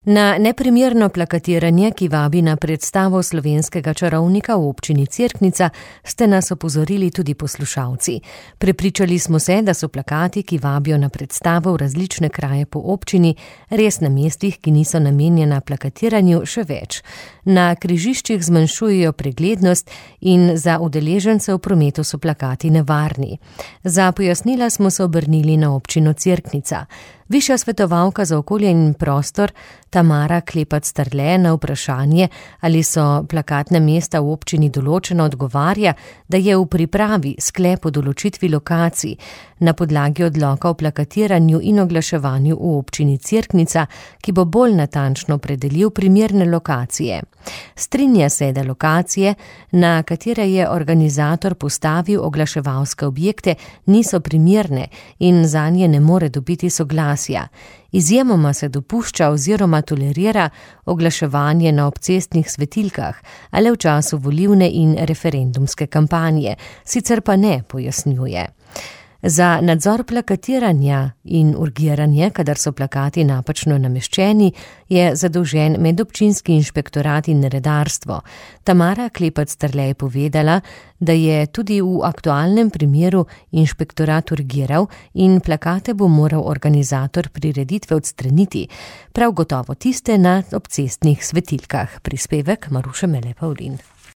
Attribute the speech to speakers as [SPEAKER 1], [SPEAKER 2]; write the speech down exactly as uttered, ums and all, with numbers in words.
[SPEAKER 1] Na neprimerno plakatiranje, ki vabi na predstavo slovenskega čarovnika v občini Cerknica, ste nas opozorili tudi poslušalci. Prepričali smo se, da so plakati, ki vabijo na predstavo v različne kraje po občini, res na mestih, ki niso namenjena plakatiranju, še več. Na križiščih zmanjšujejo preglednost in za udeležence v prometu so plakati nevarni. Za pojasnila smo se obrnili na občino Cerknica. Višja svetovalka za okolje in prostor Tamara Klepac-Strle na vprašanje, ali so plakatna mesta v občini določena, odgovarja, da je v pripravi sklep o določitvi lokacij na podlagi odloka o plakatiranju in oglaševanju v občini Cerknica, ki bo bolj natančno opredelil primerne lokacije. Strinja se, da lokacije, na katere je organizator postavil oglaševalske objekte, niso primerne in zanje ne more dobiti soglasja. Izjemoma se dopušča oziroma tolerira oglaševanje na obcestnih svetilkah, a le v času volilne in referendumske kampanje, sicer pa ne, pojasnjuje. Za nadzor plakatiranja in urgiranje, kadar so plakati napačno nameščeni, je zadolžen medobčinski inšpektorat in redarstvo. Tamara Klepac-Strle je povedala, da je tudi v aktualnem primeru inšpektorat urgiral in plakate bo moral organizator prireditve odstraniti, prav gotovo tiste na obcestnih svetilkah. Prispevek Maruše Mele Pavlin.